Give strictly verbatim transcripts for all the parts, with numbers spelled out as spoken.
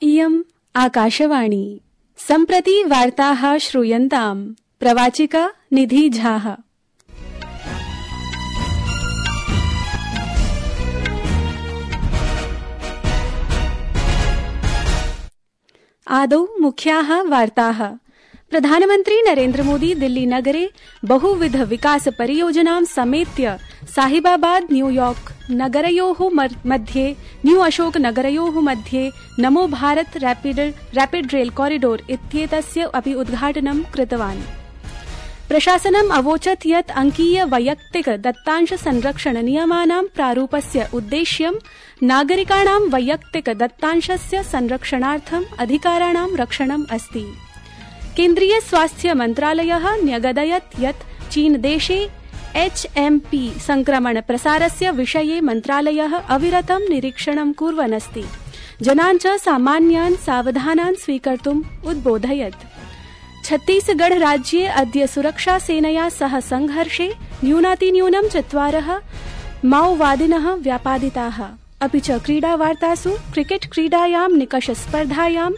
इयम् आकाशवाणी। सम्प्रति वार्ताः श्रूयन्ताम्। प्रवाचिका निधि झाः। आदौ मुख्याः वार्ताः। प्रधानमन्त्री नरेन्द्र मोदी दिल्ली नगरे बहुविध विकास परियोजनां समेत्य साहिबाबाद न्यूयॉर्क नगरयोः मध्ये न्यू अशोक नगरयोः मध्ये नमो Bharata rapid rapid rail corridor इत्येतस्य अपि उद्घाटनं कृतवान्। प्रशासनम् अवोचत् यत् अंकीय वैयक्तिक दत्तांश संरक्षण नियमानां प्रारूपस्य उद्देश्यं नागरिकाणां वैयक्तिक दत्तांशस्य संरक्षणार्थम् अधिकाराणां रक्षणम् अस्ति। केन्द्रीय स्वास्थ्य मन्त्रालयः न्यगदयत् यत् चीन देशे एच एम पी संक्रमण प्रसारस्य विषये मन्त्रालयः अविरतं निरीक्षणं कुर्वन् अस्ति। जनान् च सामान्यान् सावधानान् स्वीकर्तुम् उद्बोधयत्। छत्तीसगढ़ राज्ये अद्य सुरक्षा सेनया सह संघर्षे न्यूनातिन्यूनं चत्वारः माओवादिनः व्यापादिताः। अपि च क्रीडावार्तासु क्रिकेट क्रीडायां निकष स्पर्धायां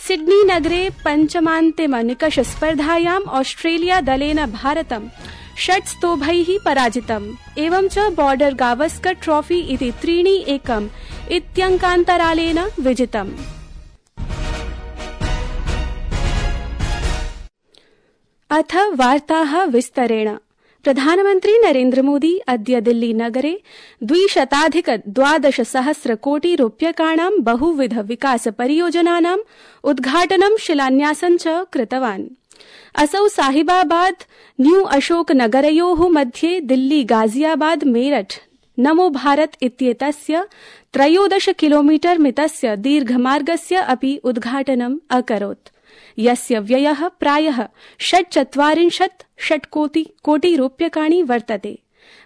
सिडनी नगरे पञ्चमान्तिम निकष स्पर्धायां ऑस्ट्रेलिया दलेन भारतं षट् स्तोभैः पराजितम्। एवं च बॉर्डर गावस्कर ट्रॉफी इति त्रीणि एकम् इत्यङ्कान्तरालेन विजितम्। अथ वार्ताः विस्तरेण। प्रधानमन्त्री नरेन्द्र मोदी अद्य दिल्ली नगरे द्विशताधिक द्वादश सहस्र कोटि रूप्यकाणां बहुविध विकास परियोजनानाम् उद्घाटनं शिलान्यासं च कृतवान्। असौ साहिबाबाद न्यू अशोक नगरयोः मध्ये दिल्ली गाजियाबाद मेरठ नमो भारत इत्येतस्य त्रयोदश किलोमीटर मितस्य दीर्घमार्गस्य अपि उद्घाटनम् अकरोत्, यस्य व्ययः प्रायः षट्चत्वारिंशत् षट्कोटि कोटि रूप्यकाणि वर्तते।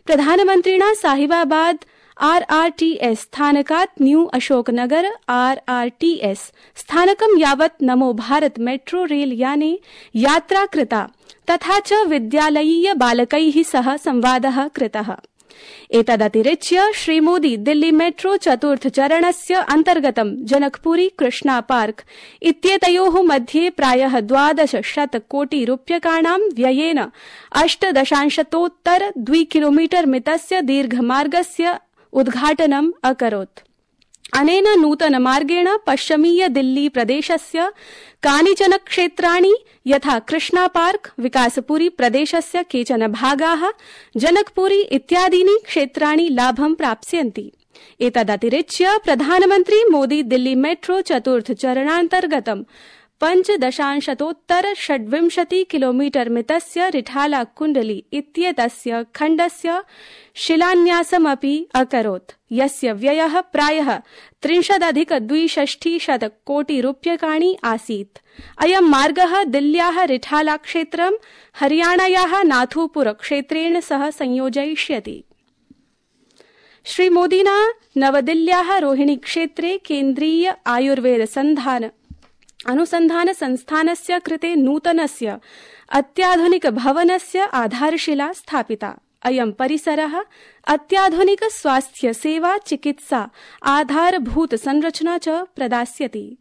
प्रधानमन्त्रिणा Sahibabad R R T S स्थानकात् new Ashoknagar R R T S स्थानकं यावत् नमो भारत मेट्रो रेल याने यात्रा कृता, तथा च विद्यालयीय बालकैः सह संवादः कृतः। एतदतिरिच्य श्रीमोदी दिल्ली मेट्रो चतुर्थ चरणस्य अन्तर्गतं जनकपुरी कृष्णा पार्क इत्येतयोः मध्ये प्रायः द्वादश शत कोटि रूप्यकाणां व्ययेन अष्टदशांशतोत्तर द्वि किलोमीटर मितस्य दीर्घमार्गस्य उद्घाटनम् अकरोत्। अनेन नूतन मार्गेण पश्चिमीय दिल्ली प्रदेशस्य कानिचन क्षेत्राणि यथा कृष्णा पार्क, विकासपुरी प्रदेशस्य केचन भागाः, जनकपुरी इत्यादीनि क्षेत्राणि लाभं प्राप्स्यन्ति। एतदतिरिच्य प्रधानमन्त्री मोदी दिल्ली मेट्रो चतुर्थ चरणान्तर्गतं पञ्चदशांशतोत्तर षड्विंशति किलोमीटर मितस्य रिठाला कुण्डली इत्येतस्य खण्डस्य शिलान्यासमपि अकरोत्, यस्य व्ययः प्रायः त्रिंशदधिक द्विषष्टिशत कोटि रूप्यकाणि आसीत्। अयं मार्गः दिल्ल्याः रिठाला क्षेत्रं हरियाणायाः नाथुपुर क्षेत्रेण सह संयोजयिष्यति। श्रीमोदिना नवदिल्ल्याः रोहिणी क्षेत्रे केन्द्रीय आयुर्वेद संधान अनुसंधान संस्थानस्य कृते नूतनस्य अत्याधुनिक भवनस्य आधारशिला स्थापिता। अयं परिसरः अत्याधुनिक स्वास्थ्य सेवा चिकित्सा आधारभूत संरचना च प्रदास्यति।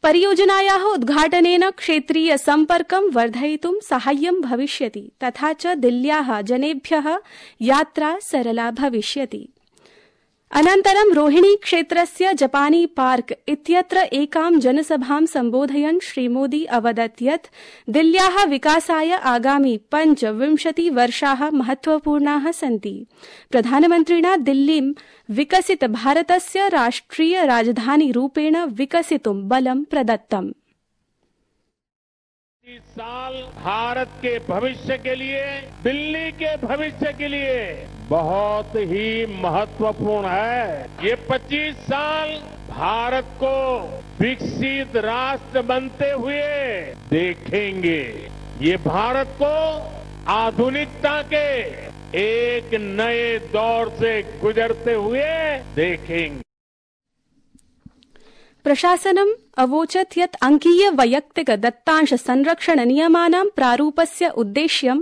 परियोजनायाः उद्घाटनेन क्षेत्रीय सम्पर्कं वर्धयितुं साहाय्यं भविष्यति, तथा च दिल्ल्याः जनेभ्यः यात्रा सरला भविष्यति। अनन्तरं रोहिणी क्षेत्रस्य जपानी पार्क इत्यत्र एकां जनसभां सम्बोधयन् श्रीमोदी अवदत् यत् दिल्ल्याः विकासाय आगामि पञ्चविंशति वर्षाः महत्वपूर्णाः सन्ति। प्रधानमन्त्रिणा दिल्लीं विकसित भारतस्य राष्ट्रिय राजधानी रूपेण विकसितुं बलं प्रदत्तम्। इस साल भारत के भविष्य के लिए, दिल्ली के भविष्य के लिए बहुत ही महत्वपूर्ण है। ये पच्चीस साल भारत को विकसित राष्ट्र बनते हुए देखेंगे। ये भारत को आधुनिकता के एक नए दौर से गुजरते हुए देखेंगे। प्रशासनम् अवोचत् यत् अंकीय वैयक्तिक दत्तांश संरक्षण नियमानां प्रारूपस्य उद्देश्यं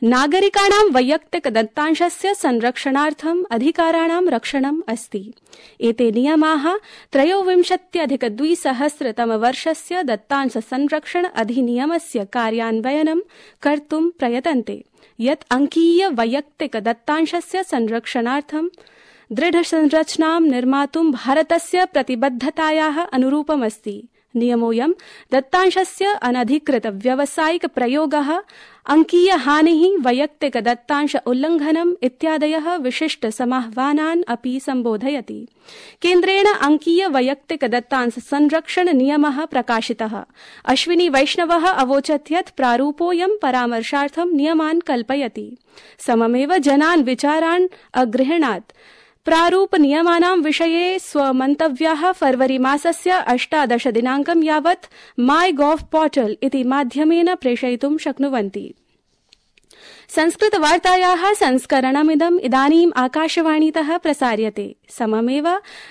नागरिकाणां वैयक्तिक दत्तांशस्य संरक्षणार्थम् अधिकाराणां रक्षणम् अस्ति। एते नियमाः त्रयोविंशत्यधिक द्विसहस्रतमवर्षस्य दत्तांश संरक्षण अधिनियमस्य कार्यान्वयनं कर्तुं प्रयतन्ते, यत् अंकीय वैयक्तिक दत्तांशस्य संरक्षणार्थं दृढसंरचनां निर्मातुं भारतस्य प्रतिबद्धतायाः अनुरूपमस्ति। नियमोऽयं दत्तांशस्य अनधिकृत व्यावसायिक प्रयोगः, अंकीय हानिः, वैयक्तिक दत्तांश उल्लङ्घनम् इत्यादयः विशिष्ट समाह्वानान् अपि सम्बोधयति। केन्द्रेण अंकीय वैयक्तिक दत्तांश संरक्षण नियमः प्रकाशितः। अश्विनी वैष्णवः अवोचत् यत् प्रारूपोऽयं परामर्शार्थं नियमान् कल्पयति, सममेव जनान् विचारान् अगृह्णात्। प्रारूप नियमानां विषये स्वमन्तव्याः फरवरी मासस्य अष्टादश दिनाङ्कं यावत् माई गॉव पोर्टल इति माध्यमेन प्रेषयितुं शक्नुवन्ति। संस्कृतवार्तायाः संस्करणमिदम् इदानीम् आकाशवाणीतः प्रसार्यते। सममेव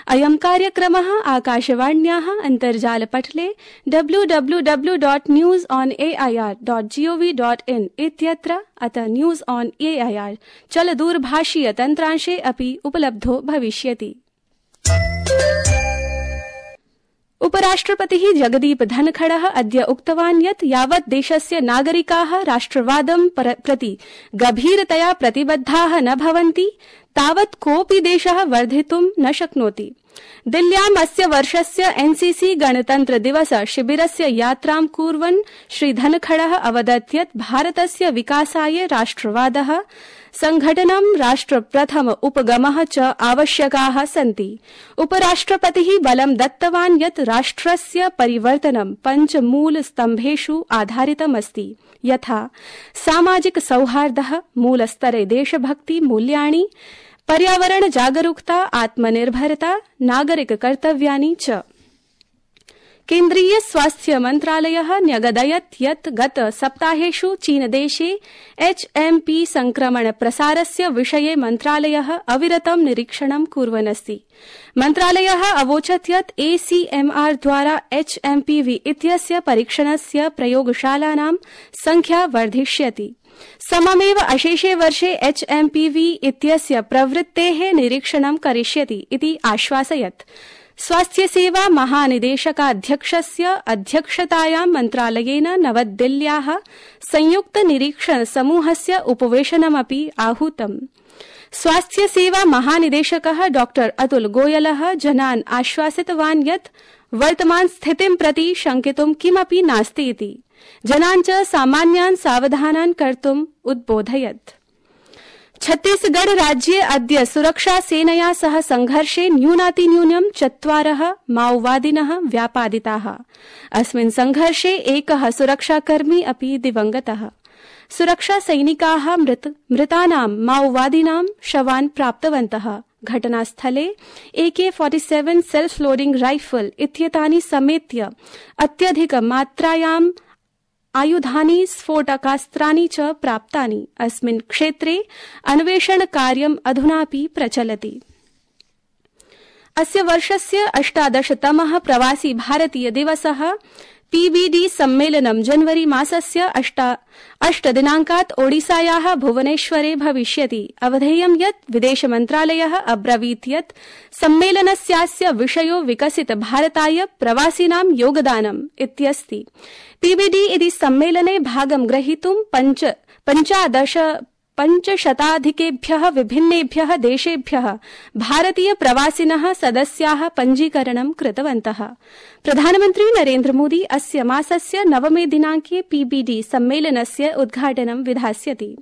अयं कार्यक्रमः आकाशवाण्याः अन्तर्जालपटले W W W dot news on A I R dot G O V dot in इत्यत्र अत news on A I R चलदूरभाषीय तन्त्रांशे अपि उपलब्धो भविष्यति। उपराष्ट्रपतिः जगदीप धनखडः अद्य उक्तवान् यत् यावत् देशस्य नागरिकाः राष्ट्रवादं प्रति गभीरतया प्रतिबद्धाः न भवन्ति, तावत् कोऽपि देशः वर्धितुं न शक्नोति। दिल्ल्याम् अस्य वर्षस्य एनसीसी गणतन्त्र दिवस शिबिरस्य यात्रां कुर्वन् श्री धनखडः अवदत् यत् भारतस्य विकासाय राष्ट्रवादः, संघटनं, राष्ट्र प्रथम उपगमः च आवश्यकाः सन्ति। उपराष्ट्रपतिः बलं दत्तवान् यत् राष्ट्रस्य परिवर्तनं पञ्च मूल स्तम्भेषु आधारितमस्ति, यथा सामाजिक सौहार्दः, मूलस्तरे देशभक्ति मूल्यानि, पर्यावरण जागरूकता, आत्मनिर्भरता, नागरिक कर्तव्यानि च। केन्द्रीय स्वास्थ्य मन्त्रालयः न्यगदयत् यत् गत सप्ताहेषु चीनदेशे एच एम पी संक्रमण प्रसारस्य विषये मन्त्रालयः अविरतं निरीक्षणं कुर्वन् अस्ति। मन्त्रालयः अवोचत् यत् ए सी एम आर द्वारा एच एम पी वी इत्यस्य परीक्षणस्य प्रयोगशालानां संख्या वर्धिष्यति। सममेव अशेषे वर्षे एच एम पी वी इत्यस्य प्रवृत्तेः निरीक्षणं करिष्यति इति आश्वासयत्। स्वास्थ्य सेवा महानिदेशकाध्यक्षस्य अध्यक्षतायां मन्त्रालयेन नवदिल्ल्याः संयुक्त निरीक्षण समूहस्य उपवेशनमपि आहूतम्। स्वास्थ्य सेवा महानिदेशकः डॉक्टर अतुल गोयलः जनान् आश्वासितवान् यत् वर्तमान स्थितिं प्रति शंकितुं किमपि नास्ति इति। जनान् च सामान्यान् सावधानान् कर्तुम् उद्बोधयत्। छत्तीसगढ़ राज्ये अद्य सुरक्षा सेनया सह संघर्षे न्यूनातिन्यूनं चत्वारः माओवादिनः व्यापादिताः। अस्मिन् संघर्षे एकः सुरक्षाकर्मी अपि दिवंगतः। सुरक्षा सैनिकाः मृत मृतानां माओवादिनां शवान् प्राप्तवन्तः। घटनास्थले ए के सैंतालीस सेल्फ लोडिंग राइफल इत्येतानि समेत्य अत्यधिक मात्रायां आयुधानि, स्फोटकास्त्राणि च प्राप्तानि। अस्मिन् क्षेत्रे अन्वेषण कार्यम् अधुनापि प्रचलति। अस्य वर्षस्य अष्टादशतमः प्रवासी भारतीय दिवसः पीबीडी सम्मेलनं जनवरी मासस्य अष्ट दिनाङ्कात् ओडिसायाः भुवनेश्वरे भविष्यति। अवधेयं यत् विदेश मन्त्रालयः अब्रवीत् यत् सम्मेलनस्यास्य विषयो विकसित भारताय प्रवासिनां योगदानम् इत्यस्ति। पीबीडी इति सम्मेलने भागं ग्रहीतुं पञ्च पञ्चादश पञ्चशताधिकेभ्यः विभिन्नेभ्यः देशेभ्यः भारतीय प्रवासिनः सदस्याः पञ्जीकरणं कृतवन्तः। प्रधानमन्त्री नरेन्द्र मोदी अस्य मासस्य नवमे दिनाङ्के पीबीडी सम्मेलनस्य उद्घाटनं विधास्यति।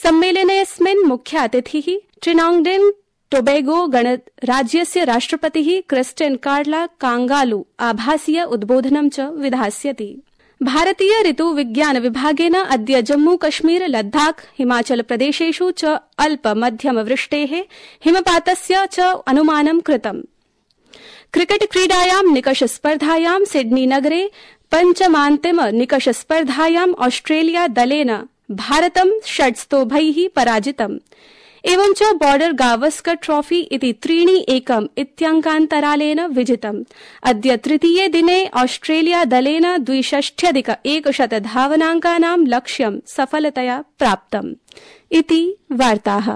सम्मेलनेऽस्मिन् मुख्यातिथिः ट्रिनाङ्गडेन् टोबैगो गणराज्यस्य राष्ट्रपतिः क्रिस्टियन कार्ला कांगालू आभासीय उद्बोधनं च विधास्यति। भारतीय ऋतु विज्ञान विभागेन अद्य जम्मू कश्मीर, लद्दाख, हिमाचल प्रदेशेषु च अल्प मध्यम वृष्टेः, हिमपातस्य च अनुमानं कृतम्। क्रिकेट क्रीडायां निकष स्पर्धायां सिडनी नगरे पञ्चमान्तिम निकष स्पर्धायां ऑस्ट्रेलिया दलेन भारतं षट् स्तोभैः पराजितम्। एवञ्च बॉर्डर गावस्कर ट्रॉफी इति त्रीणि एकम् इत्यङ्कान्तरालेन विजितम्। अद्य तृतीये दिने ऑस्ट्रेलिया दलेन द्विषष्ट्यधिक एकशत धावनाङ्कानां लक्ष्यं सफलतया प्राप्तम्। इति वार्ताः।